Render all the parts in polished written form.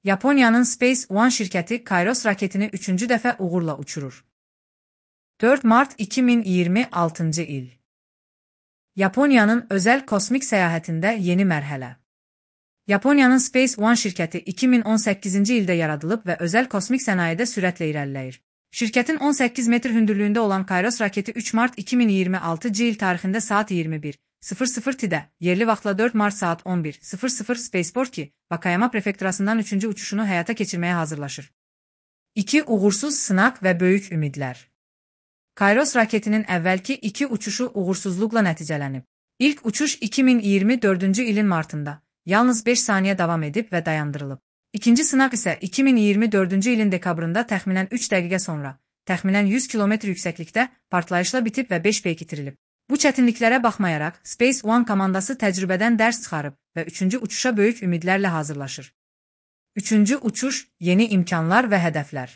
Yaponiyanın Space One şirkəti Kairos raketini 3-cü dəfə uğurla uçurur. 4 Mart 2026 il. Yaponiyanın özəl kosmik səyahətində yeni mərhələ. Yaponiyanın Space One şirkəti 2018-ci ildə yaradılıb və özəl kosmik sənayedə sürətlə irəliləyir. Şirkətin 18 metr hündürlüyündə olan Kairos raketi 3 Mart 2026 il tarixində saat 21:00-də, yerli vaxtla 4 Mart saat 11:00 Spaceport Vakayama prefekturasından 3-cü uçuşunu həyata keçirməyə hazırlaşır. 2 uğursuz sınaq və böyük ümidlər. Kairos raketinin əvvəlki 2 uçuşu uğursuzluqla nəticələnib. İlk uçuş 2024-cü ilin martında, yalnız 5 saniyə davam edib və dayandırılıb. İkinci sınaq isə 2024-cü ilin dekabrında təxminən 3 dəqiqə sonra, təxminən 100 km yüksəklikdə partlayışla bitib və 5 peyk itirilib. Bu çətinliklərə baxmayaraq, Space One komandası təcrübədən dərs çıxarıb və 3-cü uçuşa böyük ümidlərlə hazırlaşır. 3-cü uçuş, yeni imkanlar və hədəflər.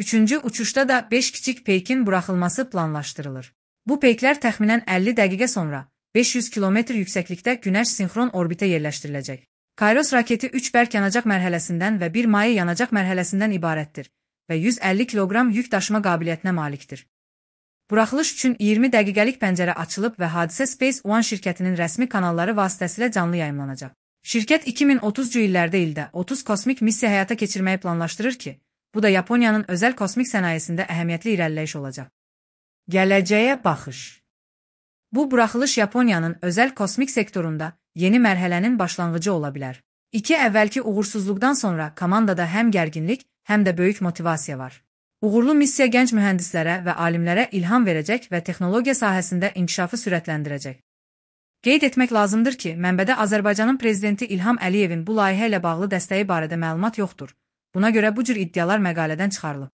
3-cü uçuşda da 5 kiçik peykin buraxılması planlaşdırılır. Bu peyklər təxminən 50 dəqiqə sonra 500 km yüksəklikdə Günəş sinxron orbitə yerləşdiriləcək. Kairos raketi 3 bərk yanacaq mərhələsindən və 1 maye yanacaq mərhələsindən ibarətdir və 150 kiloqram yük daşıma qabiliyyətinə malikdir. Buraxılış üçün 20 dəqiqəlik pəncərə açılıb və hadisə Space One şirkətinin rəsmi kanalları vasitəsilə canlı yayımlanacaq. Şirkət 2030-cu ildə 30 kosmik missiya həyata keçirməyi planlaşdırır ki, bu da Yaponiyanın özəl kosmik sənayesində əhəmiyyətli irəliləyiş olacaq. Gələcəyə baxış. Bu buraxılış Yaponiyanın özəl kosmik sektorunda yeni mərhələnin başlanğıcı ola bilər. 2 əvvəlki uğursuzluqdan sonra komandada həm gərginlik, həm də böyük motivasiya var. Uğurlu missiya gənc mühəndislərə və alimlərə ilham verəcək və texnologiya sahəsində inkişafı sürətləndirəcək. Qeyd etmək lazımdır ki, mənbədə Azərbaycanın prezidenti İlham Əliyevin bu layihə ilə bağlı dəstəyi barədə məlumat yoxdur. Buna görə bu cür iddialar məqalədən çıxarılıb.